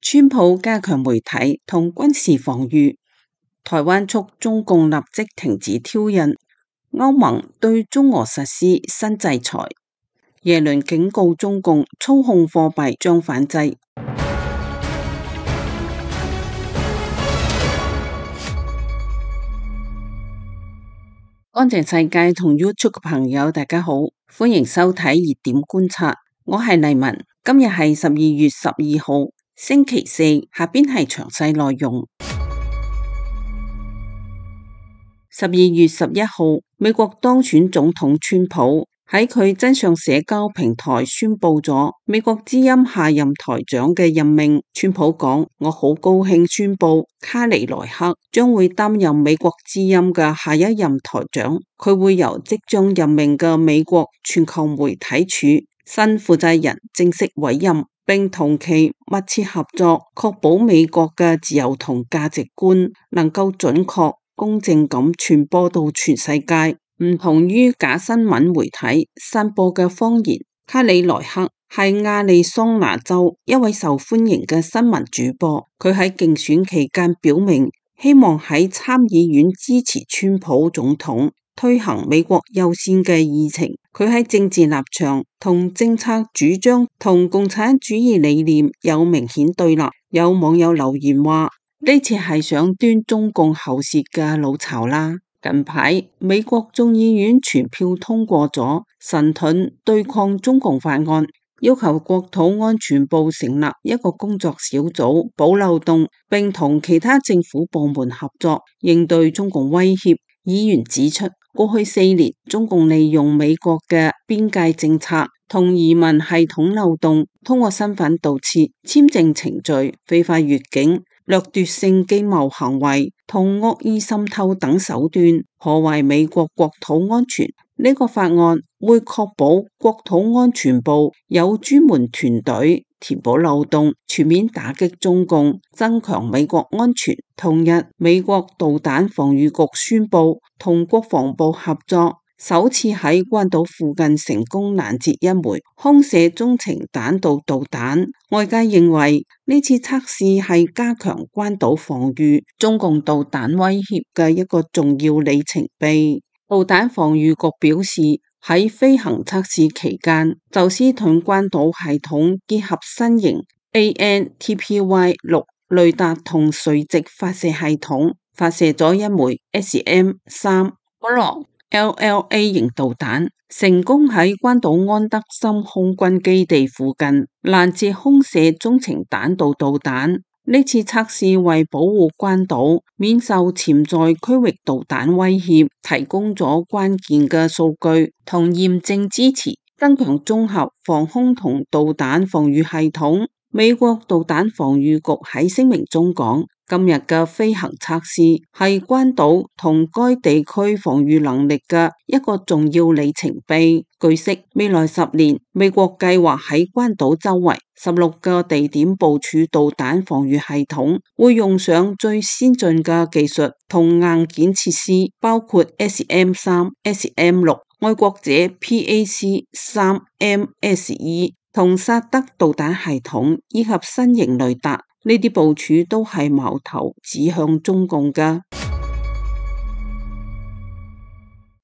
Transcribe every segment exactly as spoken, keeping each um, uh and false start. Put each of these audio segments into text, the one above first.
川普加強媒體同軍事防禦，台灣促中共立即停止挑釁，歐盟對中俄實施新制裁，耶倫警告中共操控貨幣將反制。安靜世界同 YouTube 嘅朋友大家好，歡迎收睇熱點觀察，我係麗文，今日係十二月十二號星期四，下邊係詳細內容。十二月十一號，美國當選總統川普喺佢真相社交平台宣布咗美國之音下任台長嘅任命。川普講：我好高興宣布卡尼萊克將會擔任美國之音嘅下一任台長，佢會由即將任命嘅美國全球媒體處新負責人正式委任，並同其密切合作，確保美國嘅自由同價值觀能夠準確公正咁傳播到全世界。唔同於假新聞媒體散播嘅謊言，卡里萊克係亞利桑那州一位受歡迎嘅新聞主播。佢喺競選期間表明，希望喺參議院支持川普總統推行美國優先嘅議程。佢喺政治立場同政策主張同共產主義理念有明顯對立。有網友留言話：呢次係想端中共喉舌嘅老巢啦。近排美國眾議院全票通過咗神盾對抗中共法案，要求國土安全部成立一個工作小組補漏洞，並同其他政府部門合作應對中共威脅。議員指出，過去四年中共利用美國嘅邊界政策同移民系統漏洞，通過身份盜竊、簽證程序、非法越境、掠奪性經貿行為同惡意滲透等手段，破壞美國國土安全。呢個法案會確保國土安全部有專門團隊填補漏洞，全面打擊中共，增強美國安全。同日，美國導彈防禦局宣布同國防部合作，首次喺關島附近成功攔截一枚空射中程彈道導彈。外界認為呢次測試係加強關島防禦中共導彈威脅嘅一個重要里程碑。導彈防禦局表示，喺飛行測試期間，宙斯盾關島系統結合新型 A N T P Y 六雷達同垂直發射系統，發射咗一枚 S M 三 Block L L A 型導彈，成功喺關島安德森空軍基地附近攔截空射中程彈道導彈。呢次測試為保護關島免受潛在區域導彈威脅，提供咗關鍵嘅數據同驗證支持，增強綜合防空同導彈防禦系統。美國導彈防禦局喺聲明中講，今日嘅飛行測試係關島同該地區防禦能力嘅一個重要里程碑。據悉，未來十年，美國計劃喺關島周圍十六個地點部署導彈防禦系統，會用上最先進嘅技術同硬件設施，包括 S M 三、S M 六、愛國者 P A C 三 M S E 同薩德導彈系統以及新型雷達。呢啲部署都係矛頭指向中共㗎。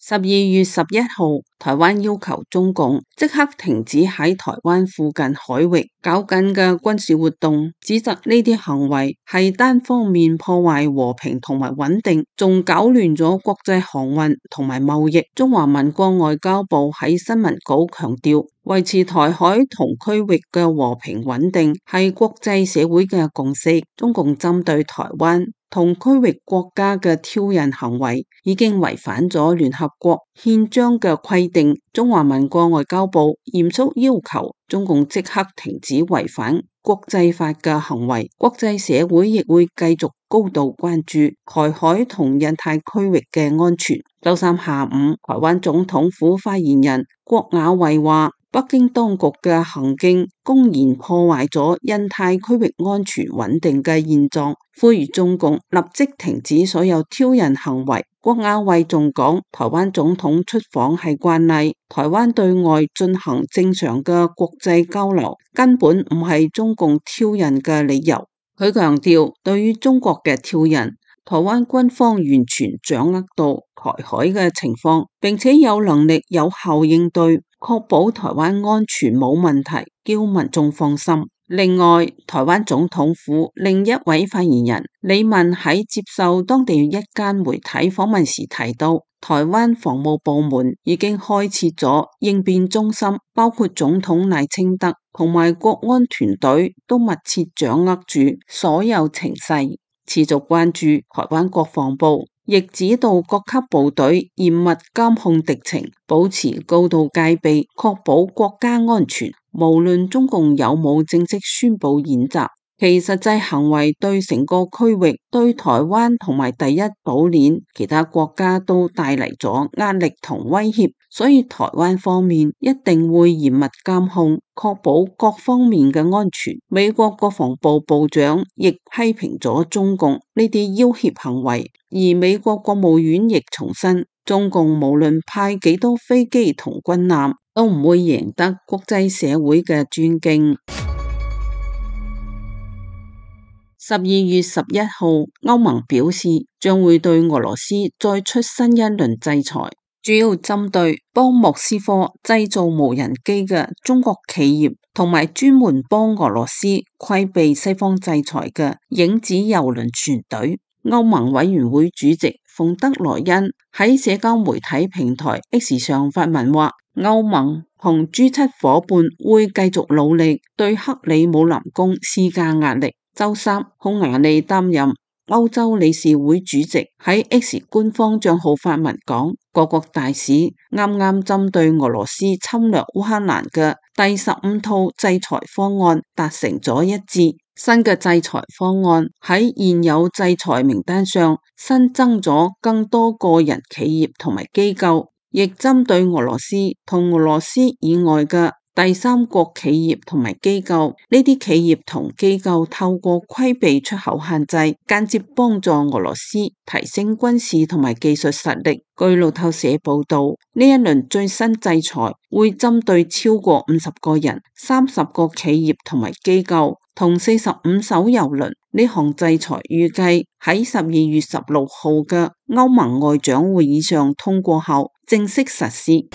十二月十一號，台灣要求中共即刻停止喺台灣附近海域搞緊嘅軍事活動，指責呢啲行為係單方面破壞和平同埋穩定，仲搞亂咗國際航運同埋貿易。中華民國外交部喺新聞稿強調，維持台海同區域嘅和平穩定係國際社會嘅共識。中共針對台灣同區域國家嘅挑釁行為已經違反咗聯合國憲章嘅規定，中華民國外交部嚴肅要求中共即刻停止違反國際法嘅行為。國際社會亦會繼續高度關注台海同印太區域嘅安全。周三下午，台灣總統府發言人郭雅慧話，北京當局嘅行徑公然破壞咗印太區域安全穩定嘅現狀，呼籲中共立即停止所有挑釁行為。郭雅慧仲講，台灣總統出訪係慣例，台灣對外進行正常嘅國際交流，根本唔係中共挑釁嘅理由。佢強調，對於中國嘅挑釁，台灣軍方完全掌握到台海嘅情況，並且有能力有效應對，確保台灣安全冇問題，叫民眾放心。另外，台灣總統府另一位發言人李文喺接受當地一間媒體訪問時提到，台灣防務部門已經開設咗應變中心，包括總統賴清德同埋國安團隊都密切掌握住所有情勢，持續關注。台灣國防部亦指導各級部隊嚴密監控敵情，保持高度戒備，確保國家安全。無論中共有冇正式宣布演習，其實際行為對成個區域、對台灣同埋第一島鏈其他國家都帶嚟咗壓力同威脅，所以台灣方面一定會嚴密監控，確保各方面嘅安全。美國國防部部長亦批評咗中共呢啲要挾行為，而美國國務院亦重申，中共無論派幾多飛機同軍艦，都唔會贏得國際社會嘅尊敬。十二月十一號，歐盟表示將會對俄羅斯再出新一輪制裁，主要針對幫莫斯科製造無人機嘅中國企業，同埋專門幫俄羅斯規避西方制裁嘅影子郵輪船隊。歐盟委員會主席馮德萊恩喺社交媒體平台 X 上發文話，歐盟同 G 七 夥伴會繼續努力對克里姆林宮施加壓力。周三，匈牙利擔任歐洲理事會主席喺 X 官方賬號發文講，各國大使啱啱針對俄羅斯侵略烏克蘭嘅第十五套制裁方案達成咗一致。新嘅制裁方案喺現有制裁名單上新增咗更多個人、企業同埋機構，亦針對俄羅斯同俄羅斯以外嘅第三國企業同埋機構。呢啲企業同機構透過規避出口限制，間接幫助俄羅斯提升軍事同埋技術實力。據路透社報道，呢一輪最新制裁會針對超過五十個人、三十個企業同埋機構同四十五艘郵輪。呢項制裁預計喺十二月十六號嘅歐盟外長會議上通過後正式實施。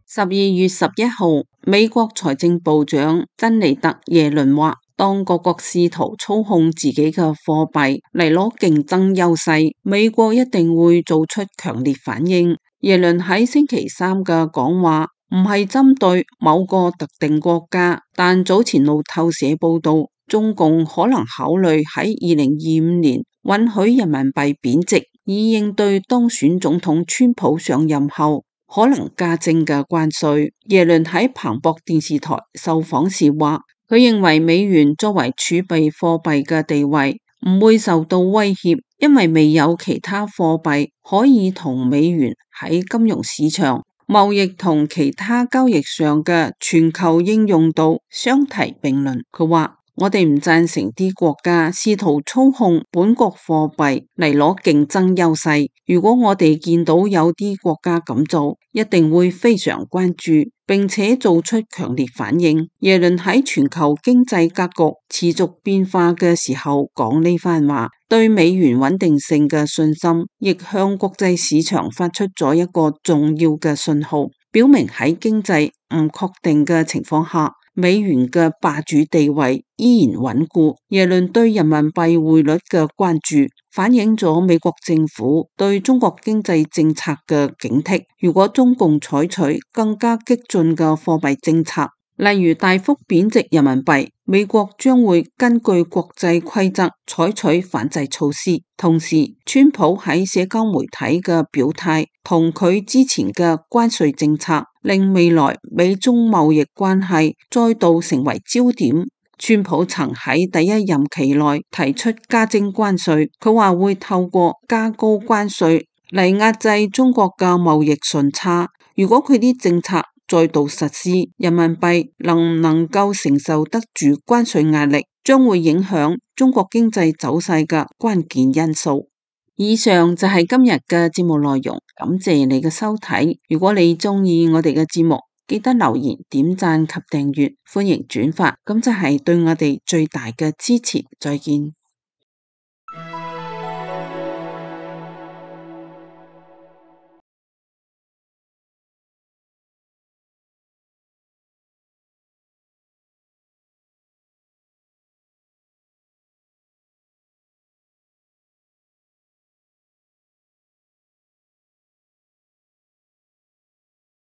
十二月十一號，美國財政部長珍妮特耶倫話，當各國試圖操控自己嘅貨幣嚟攞競爭優勢，美國一定會做出強烈反應。耶倫喺星期三嘅講話唔係針對某個特定國家，但早前路透社報道，中共可能考慮喺二零二五年允許人民幣貶值，以應對當選總統川普上任後可能加徵嘅關稅。耶倫喺彭博電視台受訪時話，佢認為美元作為儲備貨幣嘅地位唔會受到威脅，因為未有其他貨幣可以同美元喺金融市場、貿易同其他交易上嘅全球應用度相提並論。佢話，我哋唔贊成啲國家試圖操控本國貨幣嚟攞競爭優勢。如果我哋見到有啲國家咁做，一定會非常關注，並且做出強烈反應。耶倫喺全球經濟格局持續變化嘅時候講呢番話，對美元穩定性嘅信心，亦向國際市場發出咗一個重要嘅信號，表明喺經濟唔確定嘅情況下，美元嘅霸主地位依然穩固。耶倫對人民幣匯率嘅關注，反映咗美國政府對中國經濟政策嘅警惕。如果中共採取更加激進嘅貨幣政策，例如大幅貶值人民幣，美國將會根據國際規則採取反制措施。同時，川普喺社交媒體嘅表態同佢之前嘅關稅政策，令未來美中貿易關係再度成為焦點。川普曾喺第一任期內提出加徵關稅，佢話會透過加高關稅嚟壓制中國嘅貿易順差。如果佢啲政策再度實施，人民幣能唔能夠承受得住關稅壓力，將會影響中國經濟走勢嘅關鍵因素。以上就係今日嘅節目內容，感謝你嘅收睇。如果你鍾意我哋嘅節目，記得留言、點讚及訂閱，歡迎轉發，咁就係對我哋最大嘅支持。再見。